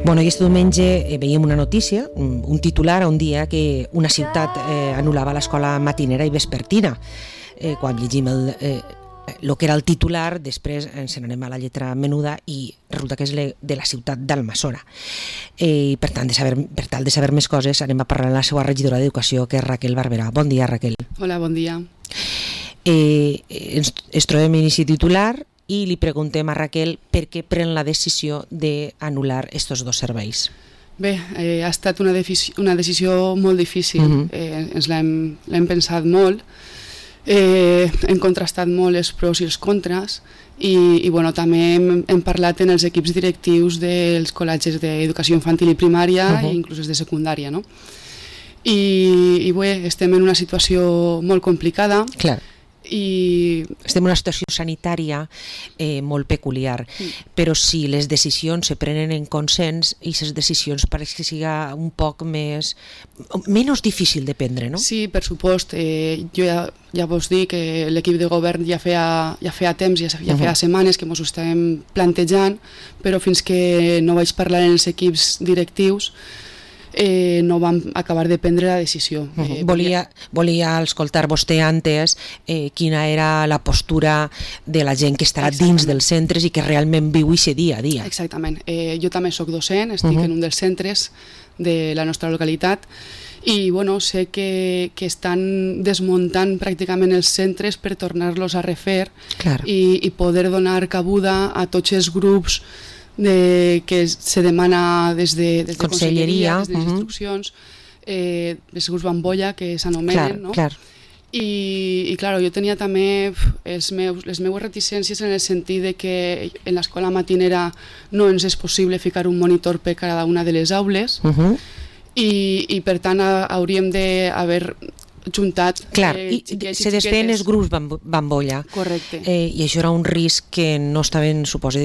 Bueno, i aquest diumenge veiem una notícia, un titular un dia que una ciutat anul·lava l'escola matinera i vespertina. Quan llegim el que era el titular, després ens n'anem a la lletra menuda i resulta que és de la ciutat d'Almassora. I per tal de saber més coses anem a parlar amb la seva regidora d'Educació, que és Raquel Barberà. Bon dia, Raquel. Hola, bon dia. Ens trobem en aquest titular i li preguntem a Raquel per què pren la decisió d'anul·lar aquests dos serveis. Bé, ha estat una decisió molt difícil. Ens l'hem pensat molt, hem contrastat molt els pros i els contres i bueno, també hem parlat en els equips directius dels col·legis d'educació infantil i primària i inclús de secundària, no? I bé, estem en una situació molt complicada. Clar. I estem en una situació sanitària molt peculiar, però si les decisions se prenen en consens, i les decisions pareix que siga un poc menys difícil de prendre, no? Sí, per supost. Jo ja vos dic que l'equip de govern ja feia temps, ja feia setmanes que ens ho estàvem plantejant, però fins que no vaig parlar en els equips directius no vam acabar de prendre la decisió. Volia escoltar vostè antes quina era la postura de la gent que estarà dins dels centres i que realment viu aquest dia a dia. Exactament. Jo també soc docent, estic en un dels centres de la nostra localitat i bueno, sé que estan desmuntant pràcticament els centres per tornar-los a refer i poder donar cabuda a tots els grups que se demana des de conselleria, des de les instruccions, els grups bambolla que s'anomenen, no? I clar, jo tenia també les meues reticències en el sentit de que en l'escola matinera no ens és possible ficar un monitor per cada una de les aules i per tant hauríem d'haver juntat se desfeien els grups bambolla. Correcte. I això era un risc que no estaven, suposo,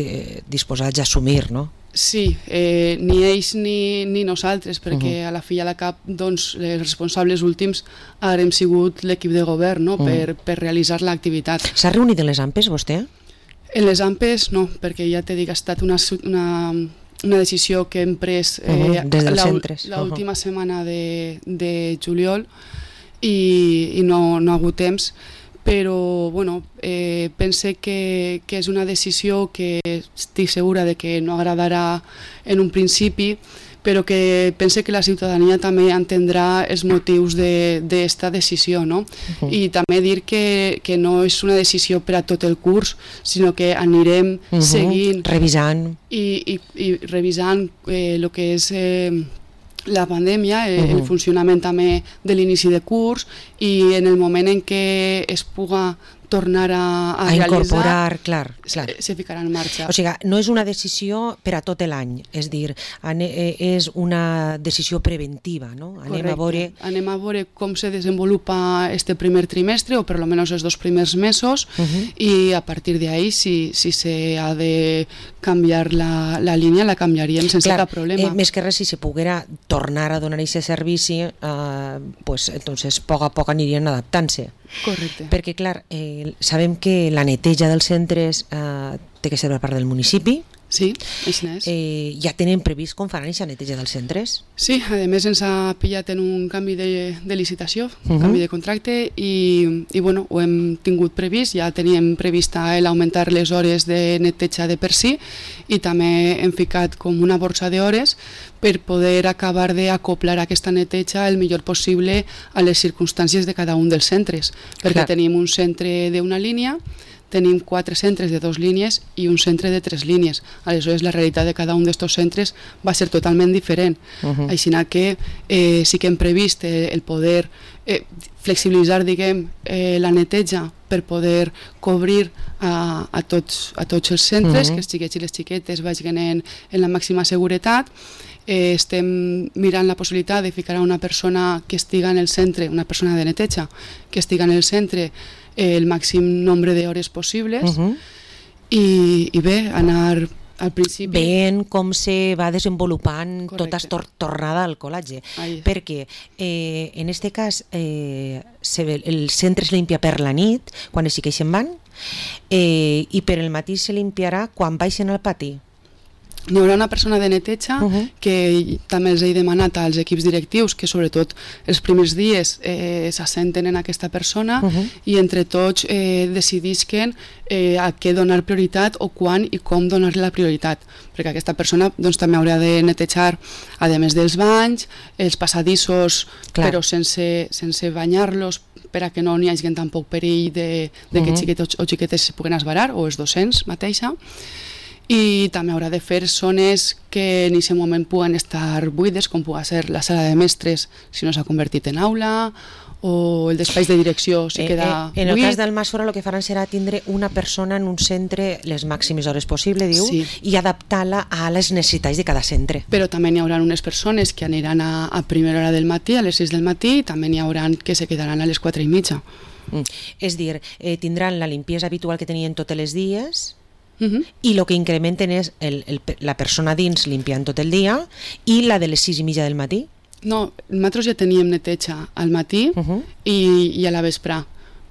disposats a assumir, no? Sí, ni ells ni nosaltres, perquè a la fi i a la cap els responsables últims haurem sigut l'equip de govern, no? Per realitzar l'activitat. S'ha reunit en les AMPEs, vostè? En les AMPEs no, perquè ja t'he dit que ha estat una decisió que hem pres l'última setmana de juliol i no ha hagut temps, però bueno, pense que és una decisió que estic segura de que no agradarà en un principi, però que pense que la ciutadania també entendrà els motius d'esta decisió, no? I també dir que no és una decisió per a tot el curs, sinó que anirem seguint, revisant i revisant el que és la pandèmia, el funcionament també de l'inici de curs i en el moment en què es puga tornar a incorporar, clar. Se ficarà en marxa. O sigui, no és una decisió per a tot l'any, és dir, és una decisió preventiva, no? Anem a veure com se desenvolupa este primer trimestre, o per lo menos els 2 primers mesos, i a partir d'ahí, si se ha de canviar la línia, la canviaríem sense cap problema. Més que res, si se poguera tornar a donar aquest servici, entonces a poc a poc anirien adaptant-se. Correcte. Perquè, clar, sabem que la neteja dels centres té que ser per part del municipi. Sí, així és. Ja tenen previst com faran aquesta neteja dels centres? Sí, a més ens ha pillat en un canvi de licitació, un canvi de contracte i bueno, ho hem tingut previst, ja teníem previst l'augmentar les hores de neteja de per si i també hem ficat com una borsa d'hores per poder acabar d'acoplar aquesta neteja el millor possible a les circumstàncies de cada un dels centres, perquè tenim un centre d'una línia, tenim 4 centres de 2 línies i un centre de 3 línies. Aleshores, la realitat de cada un d'aquests centres va ser totalment diferent. Així que sí que hem previst el poder flexibilitzar, diguem, la neteja per poder cobrir a tots els centres, que els xiquets i les xiquetes vagin en la màxima seguretat. Estem mirant la possibilitat de ficar a una persona que estiga en el centre, una persona de neteja, que estiga en el centre el màxim nombre d'hores possibles i bé, anar al principi... Veient com se va desenvolupant tota aquesta tornada al col·legi, perquè en aquest cas el centre es limpia per la nit, quan els xiquets se'n van, i per el matí se limpiarà quan baixen al pati. N'hi haurà una persona de neteja que també els he demanat als equips directius que sobretot els primers dies s'assenten en aquesta persona i entre tots decidisquen a què donar prioritat o quan i com donar-li la prioritat, perquè aquesta persona doncs, també haurà de netejar, a més dels banys, els passadissos, però sense banyar-los, per a que no n'hi hagi tampoc perill de que xiquets o xiquetes se puguen esbarar, o els docents mateixa. I també haurà de fer zones que en aquest moment puguen estar buides, com pugui ser la sala de mestres si no s'ha convertit en aula, o el d'espais de direcció si queda buit. En el cas d'Almassora el que faran serà tindre una persona en un centre les màximes hores possible, diu, i adaptar-la a les necessitats de cada centre. Però també n'hi haurà unes persones que aniran a primera hora del matí, a les 6 del matí, i també n'hi haurà que se quedaran a les 4:30. És dir, tindran la limpiesa habitual que tenien tots els dies, i el que incrementen és la persona dins limpiant tot el dia i la de les 6:30 del matí. No, nosaltres ja teníem neteja al matí i a la vespre,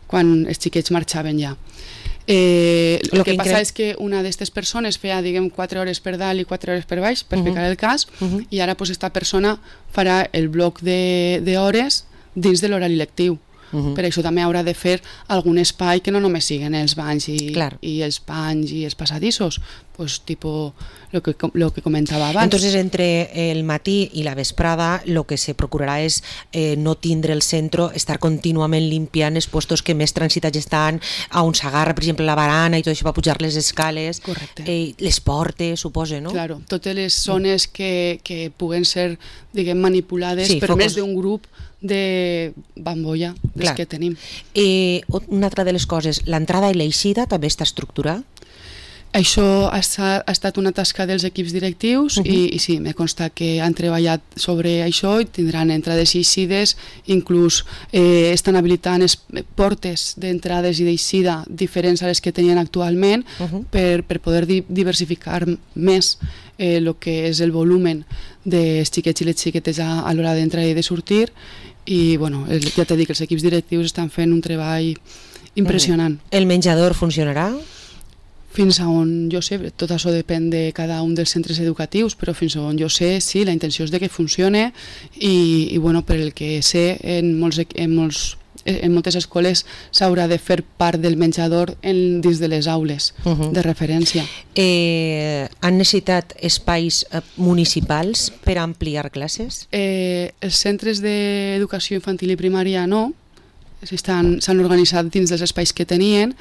quan els xiquets marxaven ja. El que passa és que una d'aquestes persones feia, diguem, 4 hores per dalt i 4 hores per baix, per ficar el cas, i ara aquesta persona farà el bloc d'hores dins de l'horari lectiu. Per això també haurà de fer algun espai que no només siguin els banys i els panys i els passadissos, pues, tipo lo que comentava abans. Entonces, entre el matí i la vesprada, lo que se procurarà és no tindre el centre, estar contínuament limpiant els puestos que més transitats estan, on s'agarra, per exemple, la barana i tot això va pujar les escales, les portes, suposo, no? Claro, totes les zones que puguen ser, diguem, manipulades per més d'un grup de bambolla que tenim. Una altra de les coses, l'entrada i l'eixida també està estructurada? Això ha estat una tasca dels equips directius i sí, me consta que han treballat sobre això i tindran entrades i eixides, inclús estan habilitant portes d'entrades i d'eixida diferents a les que tenien actualment per poder diversificar més el que és el volumen dels xiquets i les xiquetes a l'hora d'entrar i de sortir. I bueno, ja t'he dit que els equips directius estan fent un treball impressionant. El menjador funcionarà? Fins a on jo sé, tot això depèn de cada un dels centres educatius, però fins a on jo sé, sí, la intenció és de que funcione i bueno, per el que sé, en moltes escoles s'haurà de fer part del menjador dins de les aules de referència. Han necessitat espais municipals per ampliar classes? Els centres d'educació infantil i primària no, s'han organitzat dins dels espais que tenien.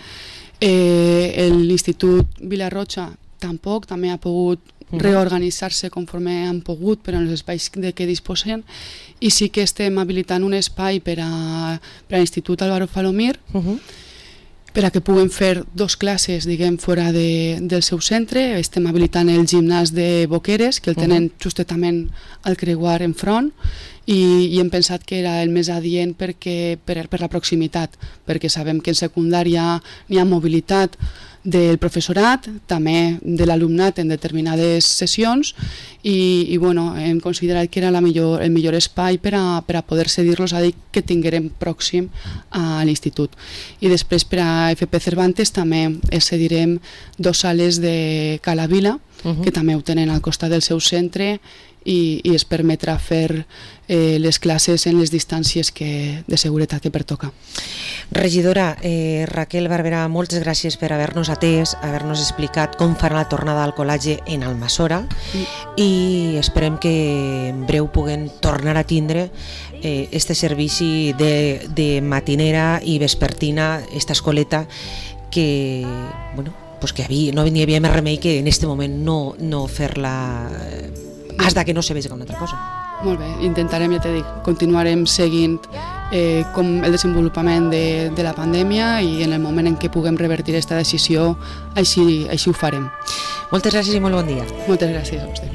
L'Institut Vilarrocha tampoc, també ha pogut reorganitzar-se conforme han pogut, però en els espais de què disposen, i sí que estem habilitant un espai per a l'Institut Álvaro Falomir, per a que puguen fer 2 classes, diguem, fora del seu centre. Estem habilitant el gimnàs de Boqueres, que el tenen justament al creuar enfront, i hem pensat que era el més adient per la proximitat, perquè sabem que en secundària n'hi ha mobilitat del professorat, també de l'alumnat en determinades sessions i bueno, hem considerat que era el millor espai per a poder cedir-los a dir que tinguérem pròxim a l'institut. I després per a FP Cervantes també cedirem 2 sales de Cala Vila, que també ho tenen al costat del seu centre i es permetrà fer les classes en les distàncies de seguretat que pertoca. Regidora Raquel Barberà, moltes gràcies per haver-nos atès, haver-nos explicat com farà la tornada al col·legi en Almassora i esperem que en breu puguem tornar a tindre este servici de matinera i vespertina, esta escoleta que, bueno, pues que no hi havia més remei que en este moment no fer-la hasta que no se vegi una altra cosa. Molt bé, intentarem, ja t'he dit, continuarem seguint com el desenvolupament de la pandèmia i en el moment en què puguem revertir aquesta decisió, així ho farem. Moltes gràcies i molt bon dia. Moltes gràcies a vostè.